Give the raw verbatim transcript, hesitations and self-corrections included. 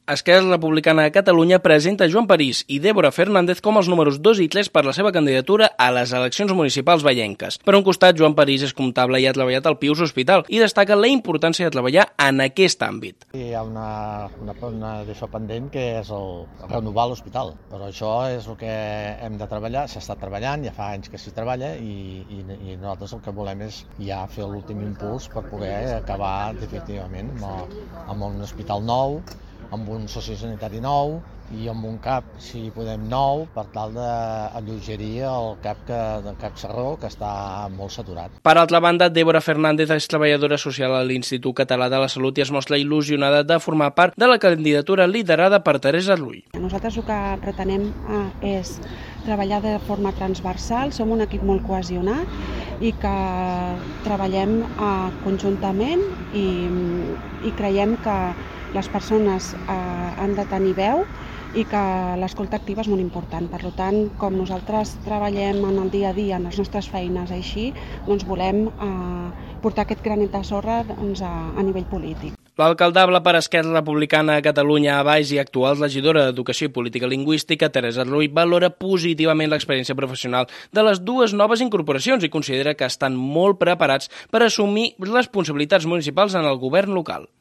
Esquerra Republicana de Catalunya presenta Joan París i Débora Fernández com els números dos i tres per la seva candidatura a les eleccions municipals vallenques. Per un costat, Joan París és comptable i ha treballat al Pius Hospital i destaca la importància de treballar en aquest àmbit. Hi ha una, una, una d'això pendent que és el renovar l'hospital, però això és el que hem de treballar, s'ha estat treballant, ja fa anys que s'hi treballa i, i, i nosaltres el que volem és ja fer l'últim impuls per poder acabar definitivament amb, amb un hospital nou, amb un sociosanitari nou i amb un CAP, si podem, nou, per tal d'alleugerir el CAP, que, el CAP Sarró, que està molt saturat. Per altra banda, Débora Fernández és treballadora social a l'Institut Català de la Salut i es mostra il·lusionada de formar part de la candidatura liderada per Teresa Rull. Nosaltres el que pretenem és treballar de forma transversal, som un equip molt cohesionat i que treballem conjuntament i, i creiem que les persones eh, han de tenir veu i que l'escolta activa és molt important. Per tant, com nosaltres treballem en el dia a dia, en les nostres feines així, doncs volem eh, portar aquest granet de sorra doncs, a, a nivell polític. L'alcaldable per Esquerra Republicana de Catalunya a Baix i actual regidora d'Educació i Política Lingüística, Teresa Rull, valora positivament l'experiència professional de les dues noves incorporacions i considera que estan molt preparats per assumir responsabilitats municipals en el govern local.